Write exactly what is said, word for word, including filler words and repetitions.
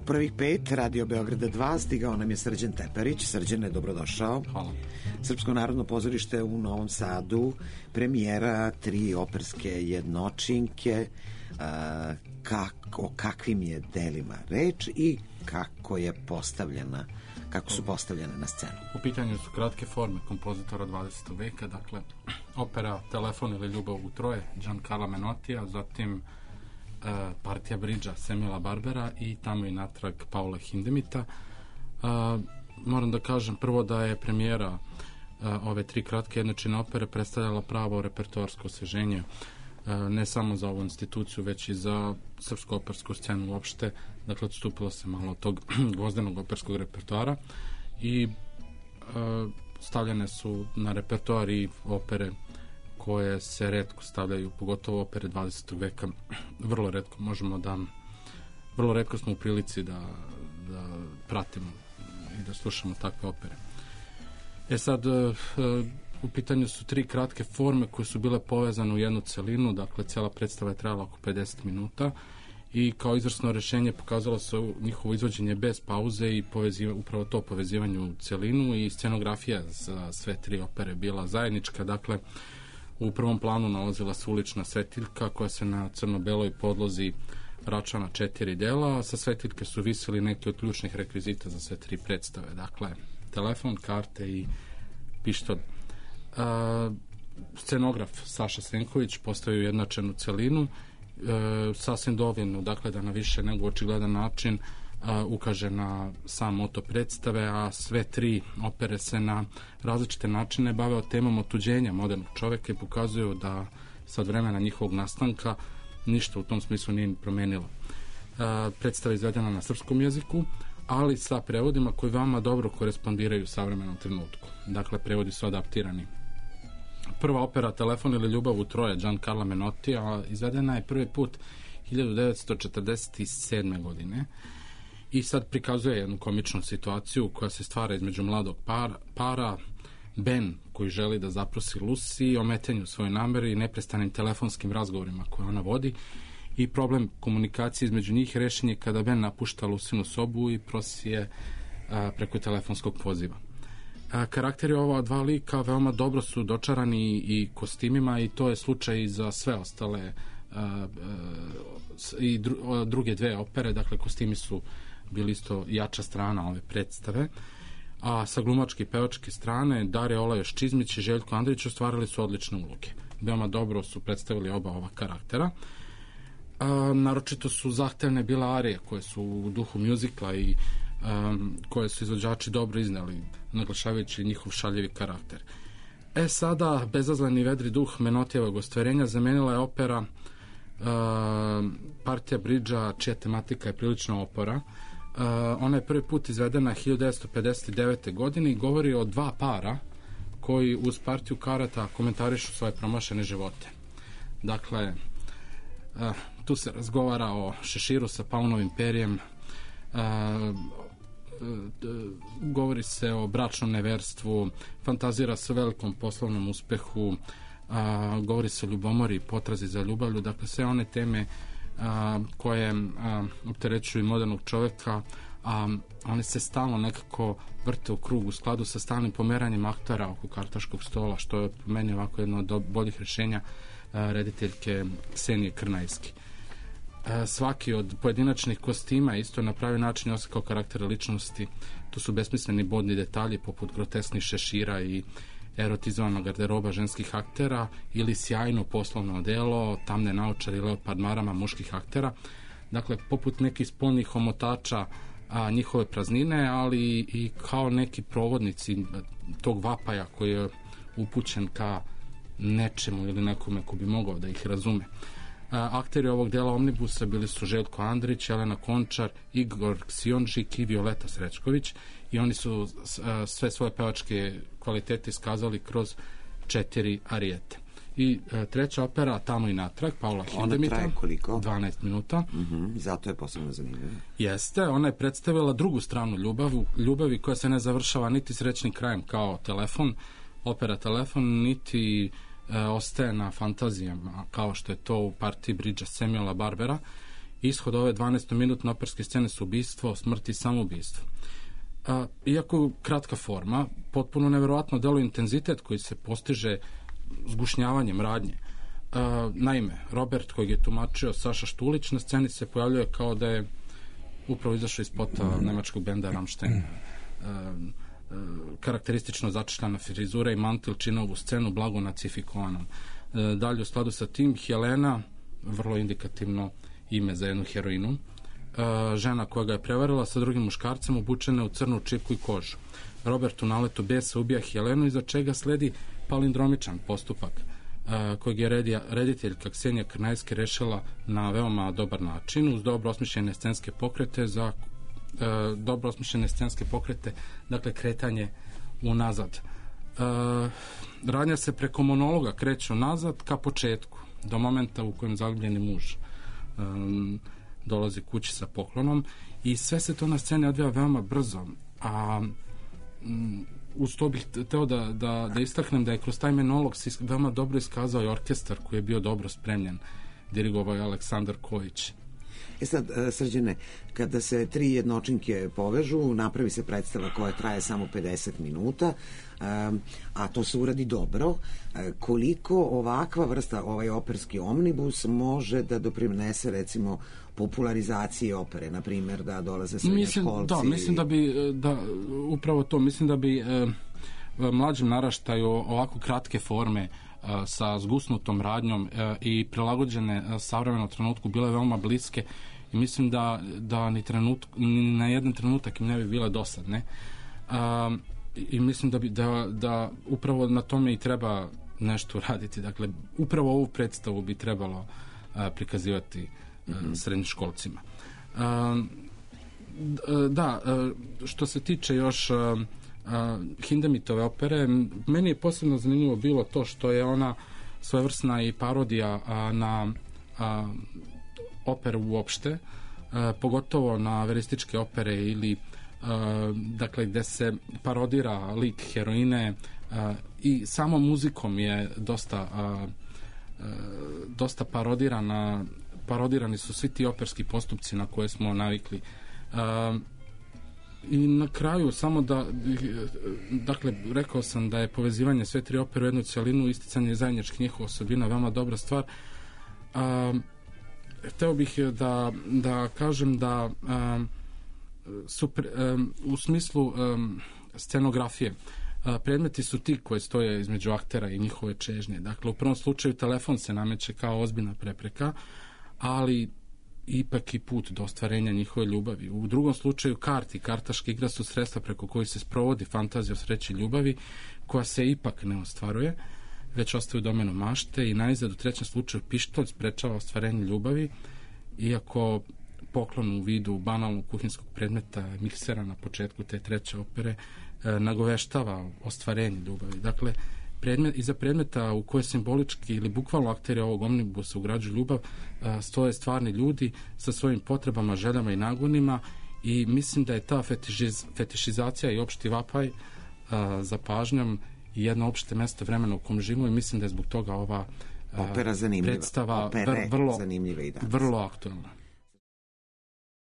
prvih pet Radio Beograda dva stigao nam je Srđan Teperić. Srđane, dobrodošao. Hvala. Srpsko narodno pozorište u Novom Sadu, premijera tri operske jednočinke. A, kak, o kakvim je delima reč i kako je postavljena, kako su postavljene na scenu? U pitanju su kratke forme kompozitora dvadesetog veka, dakle opera Telefon ili Ljubav u troje Giancarla Menotija, zatim Uh, partija bridža Samuela Barbera i Tamo i natrag Paula Hindemita. Uh, moram da kažem prvo da je premijera uh, ove tri kratke jednočine opere predstavljala pravo repertoarsko osveženje uh, ne samo za ovu instituciju, već i za srpsku opersku scenu uopšte. Dakle, odstupilo se malo od tog gvozdenog operskog repertoara i uh, stavljene su na repertoar i opere koje se retko stavljaju, pogotovo opere dvadesetog veka. Vrlo retko možemo da, vrlo retko smo u prilici da, da pratimo i da slušamo takve opere. E sad, u pitanju su tri kratke forme koje su bile povezane u jednu celinu, dakle cijela predstava je trajala oko pedeset minuta i kao izvrsno rešenje pokazalo se njihovo izvođenje bez pauze i poveziva, upravo to povezivanje u celinu, i scenografija za sve tri opere bila zajednička. Dakle, u prvom planu nalazila se ulična svetiljka koja se na crno-beloj podlozi rača na četiri dela, a sa svetiljke su visili neki od ključnih rekvizita za sve tri predstave. Dakle, telefon, karte i pištolj. Uh, scenograf Saša Senković postavio jednačenu celinu, uh, sasvim dovoljno, dakle, da na više nego očigledan način Uh, ukaže na sam moto predstave, a sve tri opere se na različite načine bave o temom otuđenja modernog čoveka i pokazuju da sad vremena njihovog nastanka ništa u tom smislu nije promenilo. Uh, predstava je izvedena na srpskom jeziku, ali sa prevodima koji vama dobro korespondiraju u savremenom trenutku. Dakle, prevodi su adaptirani. Prva opera Telefon ili Ljubav u troje Giancarla Menotija izvedena je prvi put hiljadu devetsto četrdeset sedme. godine i sad prikazuje jednu komičnu situaciju koja se stvara između mladog para, para Ben, koji želi da zaprosi Lucy, ometanju svoje namere i neprestanim telefonskim razgovorima koje ona vodi, i problem komunikacije između njih rešen je kada Ben napušta Lucinu sobu i prosi je a, preko telefonskog poziva. A, karakteri ova dva lika veoma dobro su dočarani i kostimima, i to je slučaj i za sve ostale a, a, i dru, a, druge dve opere. Dakle, kostimi su bili isto jača strana ove predstave, a sa glumačke i pevačke strane Darija Olajoš Čizmić i Željko Andrić ostvarili su odlične uloge. Veoma dobro su predstavili oba ova karaktera. A, naročito su zahtevne bile arije koje su u duhu mjuzikla i um, koje su izvođači dobro izneli, naglašavajući njihov šaljivi karakter. E sada, bezazleni vedri duh Menotijevog ostvarenja zamenila je opera uh, partija bridža, čija tematika je prilično opora. Uh, ona je prvi put izvedena hiljadu devetsto pedeset devete. godine i govori o dva para koji uz partiju karata komentarišu svoje promašene živote. Dakle, uh, tu se razgovara o šeširu sa paunovim perjem, uh, govori se o bračnom neverstvu, fantazira se o velikom poslovnom uspehu, a, govori se o ljubomori i potrazi za ljubavlju. Dakle, sve one teme a, koje a, opterećuju modernog čoveka, a one se stalno nekako vrte u krug u skladu sa stalnim pomeranjem aktera oko kartaškog stola, što je po meni ovako jedno od boljih rješenja a, rediteljke Ksenije Krnajski. Svaki od pojedinačnih kostima isto na pravi način oslikao karaktere ličnosti. Tu su besmisleni bodni detalji poput grotesknih šešira i erotizovanog garderoba ženskih aktera, ili sjajno poslovno odelo, tamne naočare i leopard marama muških aktera. Dakle, poput nekih spolnih omotača a, njihove praznine, ali i kao neki provodnici tog vapaja koji je upućen ka nečemu ili nekome ko bi mogao da ih razume. Akteri ovog dela Omnibusa bili su Željko Andrić, Jelena Končar, Igor Ksionžik i Violeta Srećković, i oni su sve svoje pevačke kvalitete iskazali kroz četiri arijete. I treća opera Tamo i natrag Paula Hindemita. Ona traje koliko? dvanaest minuta. Uh-huh, zato je posebno zanimljiva. Jeste, ona je predstavila drugu stranu ljubavi, ljubavi koja se ne završava niti srećnim krajem kao Telefon, opera Telefon, niti e, ostaje na fantazijama kao što je to u partiji bridža Samuela Barbera, ishod ove dvanaestominutne operske scene su ubistvo, smrt i samoubistvo. A, iako kratka forma, potpuno neverovatno deluje intenzitet koji se postiže zgušnjavanjem radnje. A, naime, Robert, kojeg je tumačio Saša Štulić, na sceni se pojavljuje kao da je upravo izašao iz spota nemačkog benda Rammstein. A, karakteristično začešljana frizura i mantil čine ovu scenu blago nacifikovanom. E, dalje u skladu sa tim, Helena, vrlo indikativno ime za jednu heroinu, e, žena koja ga je prevarila sa drugim muškarcem obučena u crnu čipku i kožu. Robert u naletu besa ubija Helenu, iza čega sledi palindromičan postupak e, kojeg je redija, rediteljka Ksenija Krnajski rešila na veoma dobar način uz dobro osmišljene scenske pokrete za E, dobro osmišljene scenske pokrete, dakle kretanje unazad. E, radnja se preko monologa kreće unazad ka početku, do momenta u kojem zagubljeni muž e, dolazi kući sa poklonom i sve se to na sceni odvija veoma brzo, a m, uz to bih teo da, da, da istaknem da je kroz taj monolog se veoma dobro iskazao i orkestar koji je bio dobro spremljen, dirigovao je Aleksandar Kojić. E sad, Srđane, kada se tri jednočinke povežu, napravi se predstava koja traje samo pedeset minuta, a to se uradi dobro. Koliko ovakva vrsta, ovaj operski omnibus, može da doprinese, recimo, popularizaciji opere, na primjer, da dolaze srednjoškolci? Da, mislim da bi, da, upravo to, mislim da bi e, mlađim naraštaju ovako kratke forme sa zgusnutom radnjom e, i prilagođene savremenom trenutku bile veoma bliske i mislim da, da ni, trenut, ni na jedan trenutak im ne bi bile dosadne. A, i mislim da, bi, da, da upravo na tome i treba nešto raditi. Dakle, upravo ovu predstavu bi trebalo a, prikazivati a, mm-hmm. srednjoškolcima. A, da, a, što se tiče još a, a, Hindemitove opere, meni je posebno zanimljivo bilo to što je ona svojevrsna i parodija a, na a, operu uopšte, a, pogotovo na verističke opere ili a, dakle gde se parodira lik heroine a, i samo muzikom je dosta a, a, dosta parodirana parodirani su svi ti operski postupci na koje smo navikli. A, i na kraju samo da dakle rekao sam da je povezivanje sve tri opere u jednu celinu, isticanje zajedničkih njihova osobina veoma dobra stvar. A, hteo bih da, da kažem da a, su, a, u smislu a, scenografije a, predmeti su ti koje stoje između aktera i njihove čežnje. Dakle, u prvom slučaju telefon se nameće kao ozbiljna prepreka, ali ipak i put do ostvarenja njihove ljubavi. U drugom slučaju karti, kartaška igra su sredstva preko kojih se sprovodi fantazija o sreći ljubavi, koja se ipak ne ostvaruje, već ostaje u domenu mašte i najzad u trećem slučaju pištolj sprečava ostvarenje ljubavi, iako poklon u vidu banalnog kuhinskog predmeta miksera na početku te treće opere e, nagoveštava ostvarenje ljubavi. Dakle, predmet, iza predmeta u koje simbolički ili bukvalno akteri ovog omnibusa ugrađuju ljubav a, stoje stvarni ljudi sa svojim potrebama, željama i nagonima i mislim da je ta fetišiz, fetišizacija i opšti vapaj a, za pažnjom i jedno opšte mesto vremena u kom živimo i mislim da je zbog toga ova a, opera zanimljiva. predstava Opere vrlo, zanimljiva i danas. vrlo aktualna.